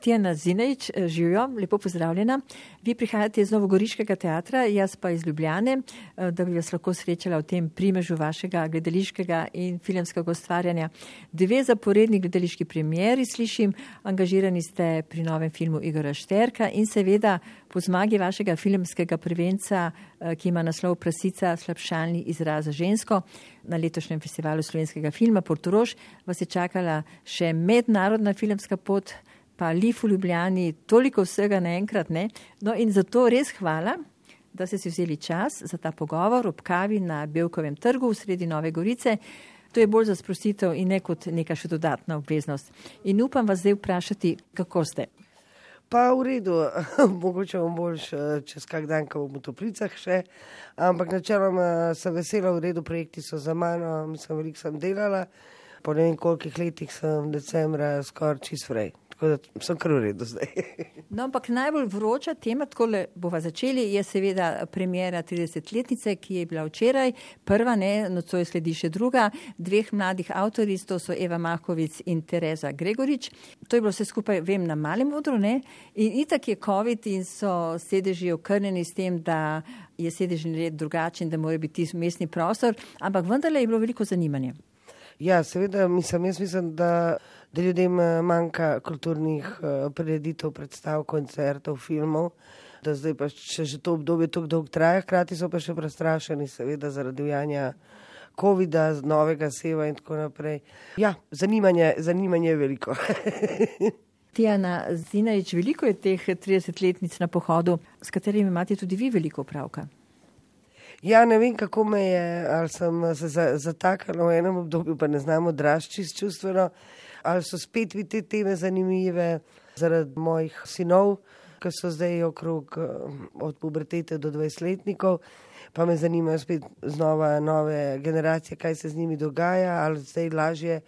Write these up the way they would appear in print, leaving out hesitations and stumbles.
Tijana Zinejč, živijo, lepo pozdravljena. Vi prihajate iz Novogoriškega teatra, jaz pa iz Ljubljane, da bi vas lahko srečala v tem primežu vašega gledališkega in filmskega ustvarjanja. 2 zaporedni gledališki premieri slišim, angažirani ste pri novem filmu Igorja Šterka in seveda po zmagi vašega filmskega prvenca, ki ima naslov Prasica, slabšalni izraz za žensko, na letošnjem festivalu slovenskega filma Portorož vas je čakala še mednarodna filmska pot, pa Lif v Ljubljani, toliko vsega naenkrat, ne? No in zato res hvala, da ste si vzeli čas za ta pogovor ob kavi na Bevkovem trgu v sredi Nove Gorice. To je bolj za sprostitev in ne kot neka še dodatna obveznost. In upam vas zdaj vprašati, kako ste? Pa v redu, mogoče bom boljš čez kak dan, ko bom v Toplicah še, ampak načeloma sem vesela, v redu, projekti so za mano, mislim, veliko sem delala, po ne vem kolikih letih sem decembra skoraj čist frej, tako da sem kar v redu zdaj. No, ampak najbolj vroča tema, takole bova začeli, je seveda premiera 30-letnice, ki je bila včeraj, prva, ne, nocoj sledi še druga, 2 mladih avtoric, to so Eva Makovic in Tereza Gregorič. To je bilo vse skupaj, vem, na malem odru, ne, in itak je COVID in so sedeži okrnjeni s tem, da je sedežni red drugačen, da mora biti mestni prostor, ampak vendarle je bilo veliko zanimanja. Ja, seveda, jaz mislim, da ljudem manjka kulturnih prireditev, predstav, koncertov, filmov, da zdaj pa že to obdobje tako dolgo traja, hkrati so pa še prestrašeni, seveda, zaradi ujanja covida, novega seva in tako naprej. Ja, zanimanje je veliko. Tijana Zinejč, veliko je teh 30-letnic na pohodu, s katerimi imate tudi vi veliko opravka. Ja, ne vem, kako me je, ali sem se zatakala v enem obdobju, pa ne znam odrašči čustveno, ali so spet mi te teme zanimive zaradi mojih sinov, ki so zdaj okrog od pubertete do 20-letnikov, pa me zanimajo spet znova nove generacije, kaj se z njimi dogaja, ali zdaj lažje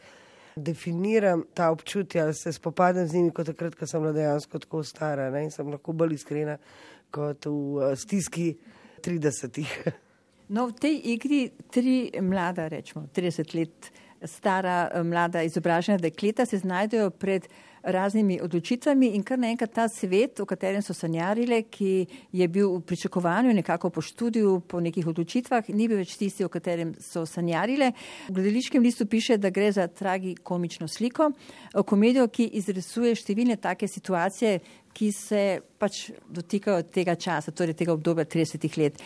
definiram ta občutja, ali se spopadam z njimi kot takrat, ko sem bila dejansko tako stara, ne, in sem lahko bolj iskrena kot v stiski 30-ih. No, v tej igri 3 mlada, rečemo, 30 let stara, mlada izobražena dekleta se znajdejo pred raznimi odločitvami in kar naenkrat ta svet, v katerem so sanjarile, ki je bil v pričakovanju nekako po študiju, po nekih odločitvah, ni bil več tisti, o katerem so sanjarile. V gledališkem listu piše, da gre za tragikomično sliko, komedijo, ki izrisuje številne take situacije, ki se pač dotikajo tega časa, torej tega obdobja 30 let.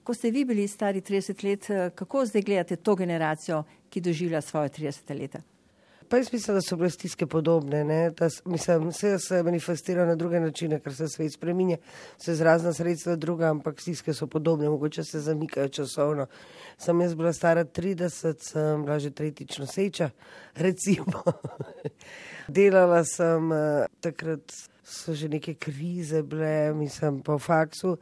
Ko ste vi bili stari 30 let, kako zdaj gledate to generacijo, ki doživlja svoje 30 leta? Pa jaz mislim, da so bile stiske podobne, ne? Vse se manifestira na druge načine, ker se svet spreminja, se razna sredstva druga, ampak stiske so podobne, mogoče se zamikajo časovno. Sem jaz bila stara 30, sem bila že 3. noseča, recimo. Delala sem, takrat so že neke krize bile, mislim, po faksu,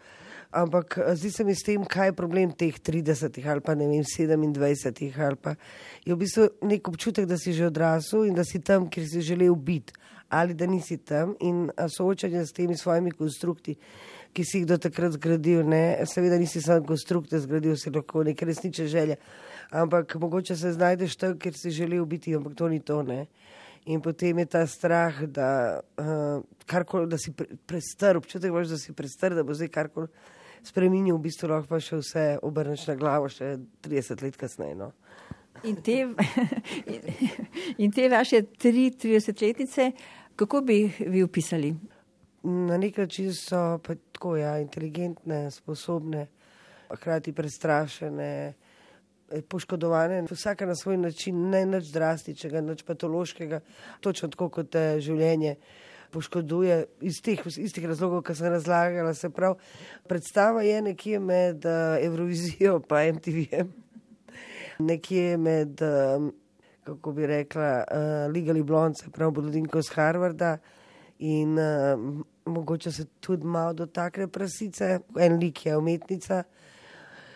ampak zdi se mi s tem, kaj je problem teh 30 ali pa ne vem, 27 ali pa je v bistvu nek občutek, da si že odrasel in da si tam, kjer si želel biti, ali da nisi tam in soočanje s temi svojimi konstrukti, ki si jih do takrat zgradil, ne, seveda nisi sam konstrukte zgradil, si lahko neke resnične želje, ampak mogoče se znajdeš tam, kjer si želel biti, ampak to ni to, ne. In potem je ta strah, da karkoli, da si prestar, občutek imaš, da si prestar, da bo zdaj karkoli spreminjal, v bistvu lahko pa še vse obrneš na glavo še 30 let kasneje, no. In te vaše 30-letnice, kako bi vi opisali? Na nek način so pa tako, ja, inteligentne, sposobne, hkrati prestrašene, poškodovane, vsaka na svoj način, ne nič drastičnega, nič patološkega, točno tako kot te življenje poškoduje iz istih razlogov, ki sem razlagala, se prav. Predstava je nekje med Evrovizijo pa MTV-jem, nekje med, kako bi rekla, Legally Blonde, se prav blondinko z Harvarda in mogoče se tudi malo dotakne Prasice, en lik je umetnica,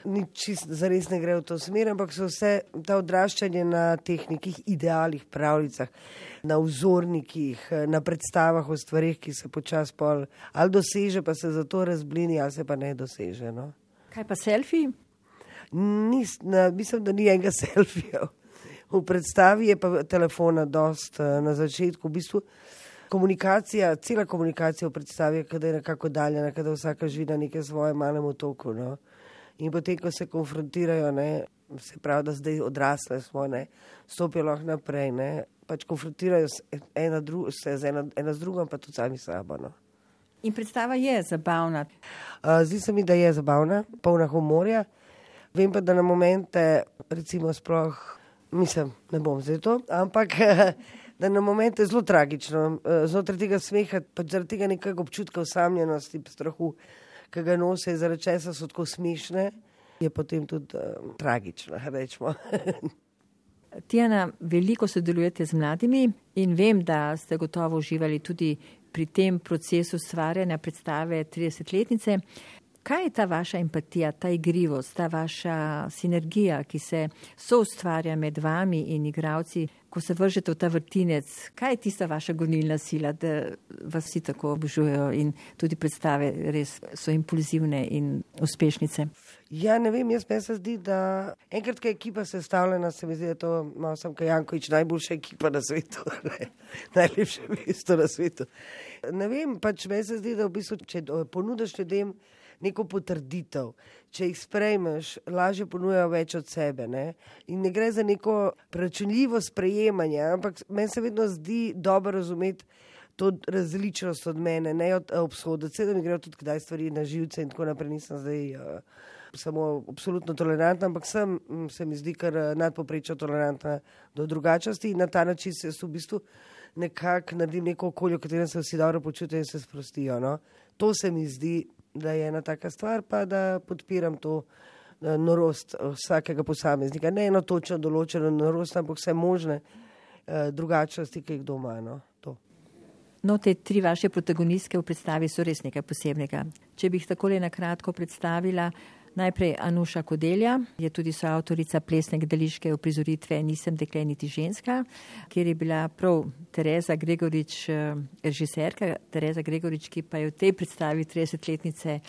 ni čisto zares ne gre v to smer, ampak so vse ta odraščanje na teh nekih idealih, pravljicah, na vzornikih, na predstavah o stvarih, ki se počas pol ali doseže, pa se zato razblini, ali se pa ne doseže, no. Kaj pa selfiji? Mislim, da ni enega selfija. V predstavi je pa telefona dost na začetku. V bistvu komunikacija, cela komunikacija v predstavi, kada je nekako daljena, kada vsaka živi na nekem svojem malem otoku. No. In potem, ko se konfrontirajo, ne, se pravi, da zdaj odrasle smo, ne, stopijo lahko naprej, ne, pač konfrontirajo se ena z drugom, pa tudi sami sabo. No. In predstava je zabavna. Zdi se mi, da je zabavna, polna humorja. Vem pa, da na momente, recimo sploh, mislim, ne bom zdaj to, ampak da na momente je zelo tragično. Znotraj tega smeha, pač zaradi tega nekega občutka osamljenosti, strahu, ki ga nose, zaradi česa so tako smešne, je potem tudi tragično, rečemo. Tijana, veliko sodelujete z mladimi in vem, da ste gotovo uživali tudi pri tem procesu stvarjanja predstave 30-letnice. Kaj je ta vaša empatija, ta igrivost, ta vaša sinergija, ki se soustvarja med vami in igralci, ko se vržete v ta vrtinec? Kaj je tista vaša gonilna sila, da vas vsi tako obožujejo in tudi predstave res so impulzivne in uspešnice? Ja, ne vem, meni se zdi, da enkrat, ko je ekipa sestavljena, se mi zdi, da je to malo sem Janković, najboljša ekipa na svetu, najlepše mesto na svetu. Ne vem, pač meni se zdi, da v bistvu, če ponudiš ljudem neko potrditev, če jih sprejmeš, lažje ponujajo več od sebe. Ne? In ne gre za neko preračunljivo sprejemanje, ampak meni se vedno zdi dobro razumeti to različnost od mene, ne od obsoditi. Seveda mi grejo tudi kdaj stvari na živce in tako naprej, nisem zdaj samo absolutno tolerantna, ampak se mi zdi kar nadpovprečno tolerantna do drugačnosti in na ta način se v bistvu nekako naredim neko okolje, v katerem se vsi dobro počutijo in se sprostijo. No? To se mi zdi, da je ena taka stvar, pa da podpiram to norost vsakega posameznika. Ne eno točno določeno norost, ampak vse možne drugačnosti, ki jih doma. No, te tri vaše protagonistke v predstavi so res nekaj posebnega. Če bi jih takole na kratko predstavila, najprej Anuša Kodelja, je tudi soavtorica plesne gledališke uprizoritve Nisem dekle niti ženska, kjer je bila prav Tereza Gregorič režiserka, Tereza Gregorič, ki pa je v tej predstavi 30-letnice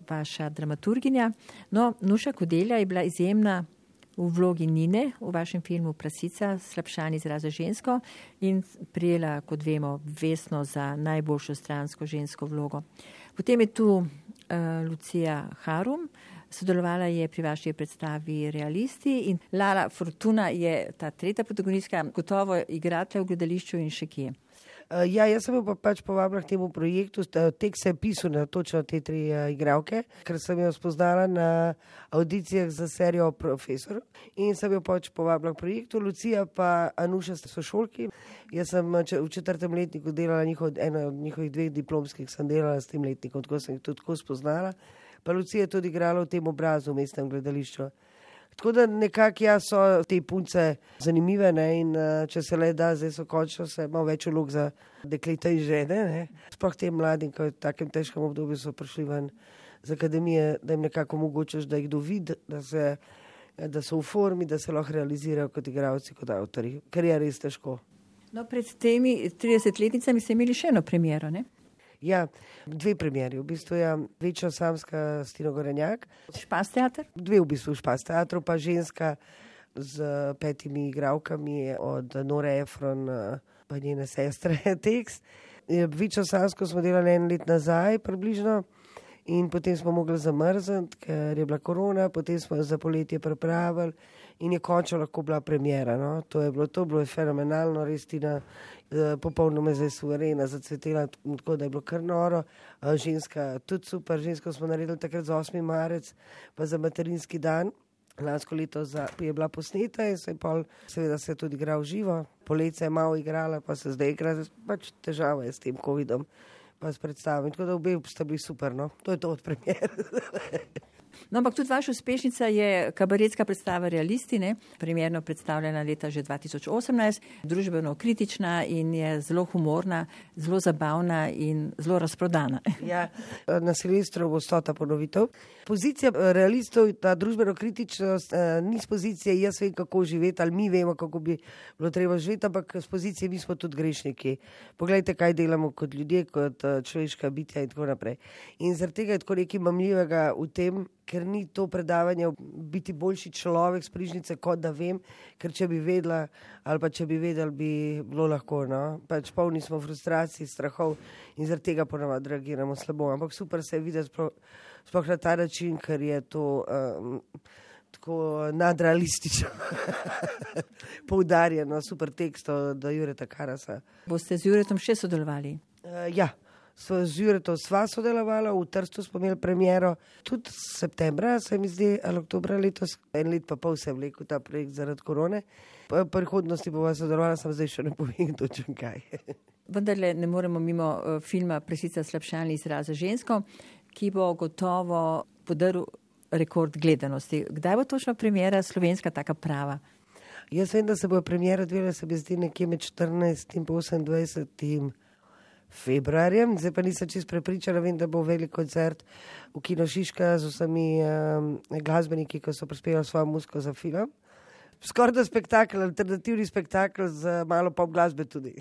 vaša dramaturginja. No, Nuša Kodelja je bila izjemna v vlogi Nine v vašem filmu Prasica, slabšan izraz za žensko in prijela, kot vemo, Vesno za najboljšo stransko žensko vlogo. Potem je tu Lucija Harum, sodelovala je pri vaši predstavi Realisti in Lala Fortuna je ta tretja protagonistka, gotovo igrate v gledališču in še kje. Ja, jaz sem jo pa pač povabila k temu projektu, tek se je pisal na točno te tri igralke, ker sem jo spoznala na audicijah za serijo Profesor in sem jo pač povabila k projektu. Lucija pa Anuša sta sošolki. Jaz sem v 4. letniku delala eno od njihovih 2 diplomskih, sem delala s tem letnikom, tako sem jih tudi tako spoznala. Pa Lucija je tudi igrala v tem obrazu v mestnem gledališču. Tako da nekako so te punce zanimive, ne, in če se le da, zdaj so končno se malo več vlog za dekleta in žene. Ne. Sploh tem mladim, ki v takem težkem obdobju so prišli ven z akademije, da jim nekako omogočaš, da jih dovid, da so v formi, da se lahko realizirajo kot igralci, kot avtori, ker je res težko. No, pred temi 30-letnicami ste imeli še eno premiero, ne? Ja, 2 premieri, v bistvu je Večna samska s Tino Gorenjak. Špas teater? 2 v bistvu Špas teatru, pa Ženska z 5 igralkami od Nore Efron pa njene sestre tekst. Večno samsko smo delali 1 let nazaj približno in potem smo mogli zamrzniti, ker je bila korona, potem smo za poletje pripravili in je končno lahko bila premiera. No? To je bilo fenomenalno, res Tina popolnoma zdaj suverena, zacvetela, tako da je bilo kar noro. Ženska tudi super, Žensko smo naredili takrat za 8. marec, pa za materinski dan. Lansko leto je bila posneta in seveda se je tudi igral živo. Poletje je malo igrala, pa se zdaj igra, pač težava je s tem covidom, pa s predstavami. Tako da obe sta bili super, no. To je to od premiere. No, ampak tudi vaša uspešnica je kabaretska predstava Realisti, ne? Primerno predstavljena leta že 2018, družbeno kritična in je zelo humorna, zelo zabavna in zelo razprodana. Ja, na Silvestru bo 100. ponovitev. Pozicija Realistov, ta družbeno kritičnost, ni z pozicije jaz vem, kako živeti, ali mi vemo, kako bi bilo treba živeti, ampak z pozicije mi smo tudi grešniki. Poglejte, kaj delamo kot ljudje, kot človeška bitja in tako naprej. In zaradi tega je tako nekaj mamljivega v tem, ker ni to predavanje biti boljši človek s Prižnice, kot da vem, ker če bi vedela ali pa če bi vedeli, bi bilo lahko, no. Pač polni smo frustracij, strahov in zaradi tega ponavadi reagiramo slabo, ampak super se je videti sploh na ta način, ker je to tako nadrealistično poudarjeno, super tekst od Jureta Karasa. Boste z Juretom še sodelovali? Ja, z Juretom sva sodelovala, v Trstu smo imeli premiero, tudi septembra, se mi zdi, ali oktobra letos, 1 let pa pol se je vlekel ta projekt zaradi korone. V prihodnosti bova sodelovala, sem zdaj še ne povem točno kaj. Vendarle ne moremo mimo filma Presica slabšalni izraz za žensko, ki bo gotovo podaril rekord gledanosti. Kdaj bo točno premiera slovenska taka prava? Jaz vem, da se bo premiera odvijala, se mi zdi, nekje med 14. in 28. februarjem. Zdaj pa nisem čisto prepričana, vem, da bo velik koncert v Kino Šiška z vsemi glasbeniki, ki so prispevali svojo muziko za film. Skoraj da spektakel, alternativni spektakel z malo pop glasbe tudi.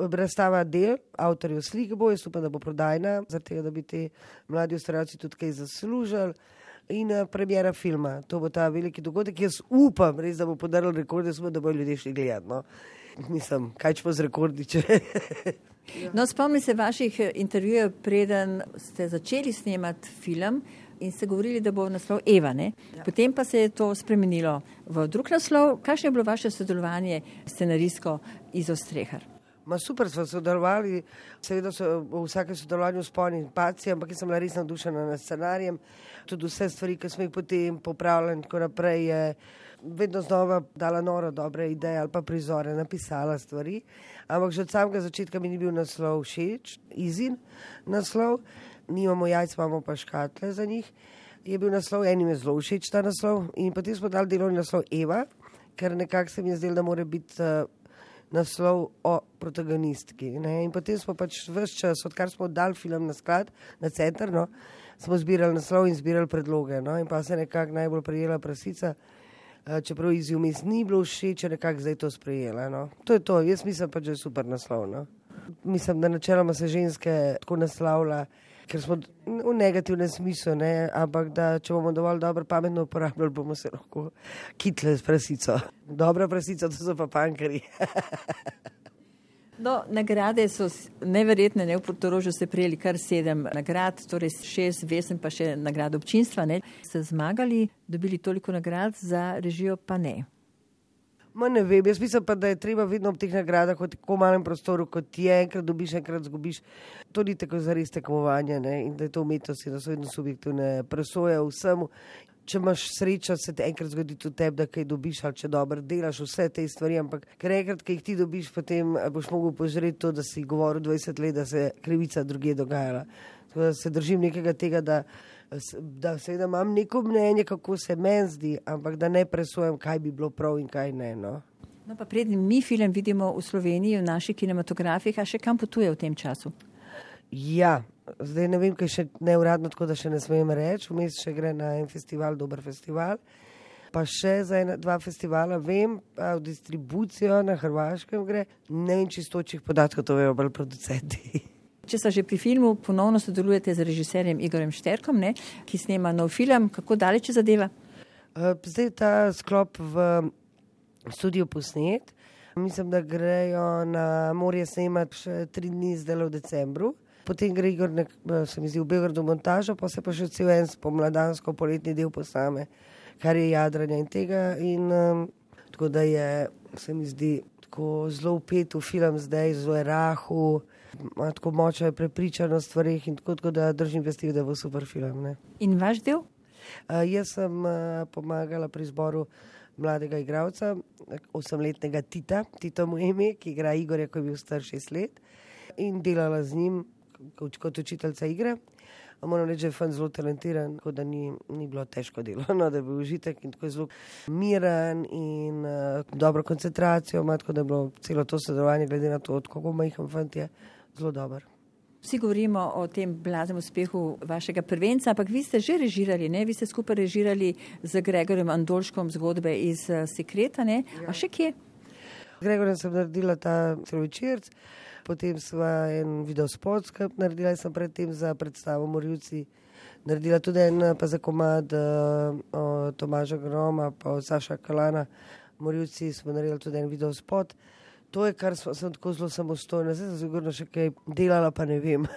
Razstava del, avtorjev slik bo, jaz upam, da bo prodajna, zaradi tega, da bi te mladi ustvarjalci tudi kaj zaslužili. In premiera filma, to bo ta veliki dogodek. Jaz upam res, da bo podaril rekorde, da bojo ljudje šli gledati. No. Mislim, kaj če bo z rekordi, če... No, spomnim se vaših intervjujev, preden ste začeli snemati film in ste govorili, da bo naslov Eva, ne? Ja. Potem pa se je to spremenilo v drug naslov. Kakšno je bilo vaše sodelovanje scenaristko Izo Strehar? Super smo sodelovali, seveda so v vsakem sodelovanju sponi in paci, ampak jaz sem bila res navdušena nad scenarijem. Tudi vse stvari, ki smo jih potem popravljali in tako naprej, je vedno znova dala noro dobre ideje ali pa prizore, napisala stvari. Ampak že od samega začetka mi ni bil naslov všeč, Izin naslov, nimamo jajc, imamo pa škatle za njih. Je bil naslov, enim je zelo všeč ta naslov in potem smo dali delovni naslov Eva, ker nekako se mi je zdelo, da mora biti naslov o protagonistki. Ne? In potem smo pač ves čas, odkar smo dali film na sklad, na center, no, smo zbirali naslov in zbirali predloge. No? In pa se nekako najbolj prijela Prasica, čeprav Izi vmes ni bilo všeč, nekako zdaj to sprejela. No? To je to, jaz mislim pač, da je super naslov. No? Mislim, da načeloma se ženske tako naslavlja, ker smo v negativnem smislu, ne? Ampak da če bomo dovolj dobro pametno uporabljali, bomo se lahko kitli s prasico. Dobra prasica, to so pa pankari. No, nagrade so neverjetne, ne? V Portorožu ste prejeli kar 7 nagrad, torej 6 vesem pa še nagrad občinstva. Ne? Ste zmagali, dobili toliko nagrad, za režijo pa ne. Ne vem, jaz mislim pa, da je treba vedno ob teh nagradah v tako malem prostoru, kot je, enkrat dobiš, enkrat zgubiš. To ni tako zares tekmovanje, ne? In da je to umetnost in da so vedno subjektivne presoje vsemu. Če imaš srečo, se te enkrat zgodi tudi tebi, da kaj dobiš, ali če dobro delaš vse te stvari, ampak ker enkrat, ki jih ti dobiš, potem boš mogel požreti to, da si govoril 20 let, da se krivica drugje dogajala. Tako da se držim nekega tega, da seveda imam neko mnenje, kako se meni zdi, ampak da ne presojam, kaj bi bilo prav in kaj ne. No, no pa prednji mi film vidimo v Sloveniji, v naših kinematografih, a še kam potuje v tem času? Ja, zdaj ne vem, kaj še neuradno, tako da še ne smem reči. Vmes še gre na en festival, dober festival. Pa še za 2 festivala vem, v distribucijo na Hrvaškem gre. Ne vem čistočih podatkov, to vejo bolj producenti. Če sta že pri filmu, ponovno sodelujete z režiserjem Igorjem Šterkom, ne, ki snema nov film. Kako daleč zadeva? Zdaj ta sklop v studiu posnet. Mislim, da grejo na morje snemati še 3 dni zdaj v decembru. Potem gre Igor, se mi zdi, v Beogradu montažo, pa se pa še cel en spomladansko poletni del posname, kar je jadranja in tega. In tako da je, se mi zdi, tako zelo vpet v film zdaj, zelo je rahu, ima tako močno prepričano stvarih in tako da držim vesti, da bo super film. Ne? In vaš del? Jaz sem pomagala pri izboru mladega igralca, 8-letnega Tito mu ime, ki igra Igorja, ko je bil star 6 let in delala z njim kot učiteljica igre. Moram reči, da je fan zelo talentiran, tako da ni bilo težko delo, no, da je bil užitek in tako je zelo miren in dobro koncentracijo ima, tako da je bilo celo to sodelovanje, glede na to, kako majhen fant je, zelo dober. Vsi govorimo o tem blaznem uspehu vašega prvenca, ampak vi ste že režirali, ne? Vi ste skupaj režirali z Gregorjem Andolškom zgodbe iz Sekreta, ne? A še kje? Gregorjem sem naredila ta celovečerc, potem sva en videospot skupaj naredila, sem predtem za predstavo Morilci naredila tudi en pa za komad Tomaža Groma pa Saša Kalana. Morilci smo naredili tudi en videospot. To je, kar sem tako zelo samostojna. Zdaj sem sigurno še kaj delala, pa ne vem.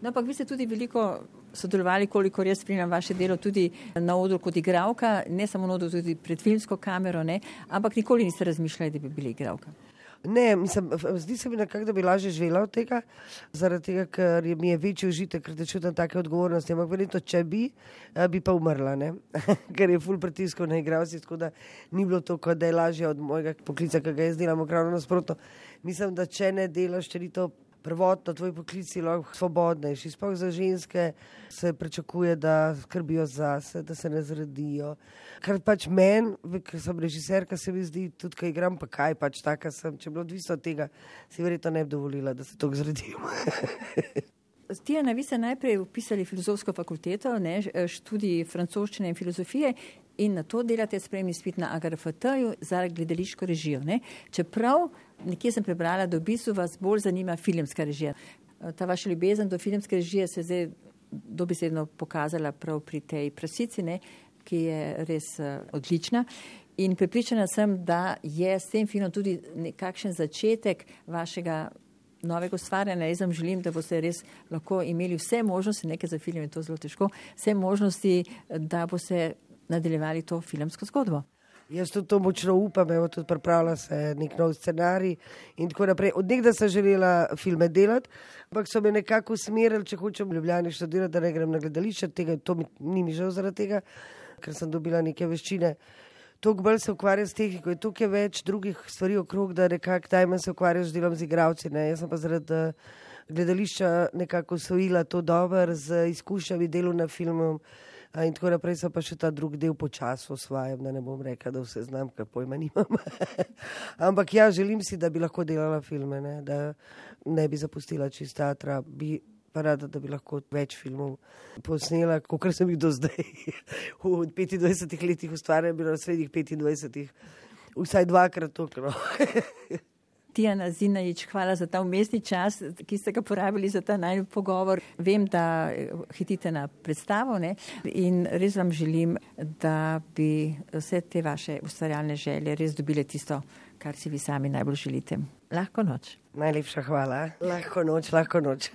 No, ampak vi ste tudi veliko sodelovali, kolikor jaz spremljam vaše delo, tudi na odru kot igralka, ne samo na odru, tudi pred filmsko kamero, ne? Ampak nikoli niste razmišljali, da bi bili igralka. Ne, mislim, zdi se mi nekako, da bi lažje živela od tega, zaradi tega, ker mi je večji užitek, ker da čutim take odgovornosti, ampak verjetno, če bi pa umrla, ne? Ker je ful pritiskov na igralci, tako da ni bilo to, da je lažje od mojega poklica, ki ga jaz delam, ravno nasprotno. Mislim, da če ne delaš, če ni to prvotno tvoj poklici lahko svobodnejši. Sploh za ženske se pričakuje, da skrbijo zase, da se ne zredijo. Kar pač meni, ker sem režiserka, se mi zdi, tudi kaj igram, pa kaj pač taka sem. Če bi bilo odvisno od tega, si verjetno ne bi dovolila, da se toliko zredim. Tijana, vi ste najprej upisali filozofsko fakulteto, ne, študij francoščine in filozofije in na to delate spremni izpit na AGRFT-ju za gledališko režijo. Ne. Čeprav nekje sem prebrala, da v bistvu vas bolj zanima filmska režija. Ta vaša ljubezen do filmske režije se je zdaj dobesedno pokazala prav pri tej Prasici, ne, ki je res odlična. In prepričana sem, da je s tem filmom tudi nekakšen začetek vašega novega ustvarjanja. Jaz vam želim, da boste res lahko imeli vse možnosti, nekaj za film je to zelo težko, vse možnosti, da boste nadaljevali to filmsko zgodbo. Jaz tudi to močno upam, evo tudi pripravlja se nek nov scenarij in tako naprej. Od nekdaj sem želela filme delati, ampak so me nekako usmerili, če hočem v Ljubljani študirati, da ne grem na gledališče, to ni mi žal zaradi tega, ker sem dobila neke veščine. Toliko bolj se ukvarjam s tehniko, je toliko več drugih stvari okrog, da nekako tajman se ukvarjam z delom z igralci. Jaz sem pa zaradi gledališča nekako osvojila to dobro z izkušnjami delu na filmu in tako naprej, sem pa še ta drug del počasi osvajam, da ne bom rekla, da vse znam, ker pojma nimam. Ampak ja, želim si, da bi lahko delala filme, ne? Da ne bi zapustila čist teatra, bi pa rada, da bi lahko več filmov posnela, kakor sem jih do zdaj. V 25 letih ustvarjam, bilo na srednjih 25, vsaj dvakrat toliko. Tijana Zinajić, hvala za ta umestni čas, ki ste ga porabili za ta najbolj pogovor. Vem, da hitite na predstavo, ne? In res vam želim, da bi vse te vaše ustvarjalne želje res dobile tisto, kar si vi sami najbolj želite. Lahko noč. Najlepša hvala. Lahko noč, lahko noč.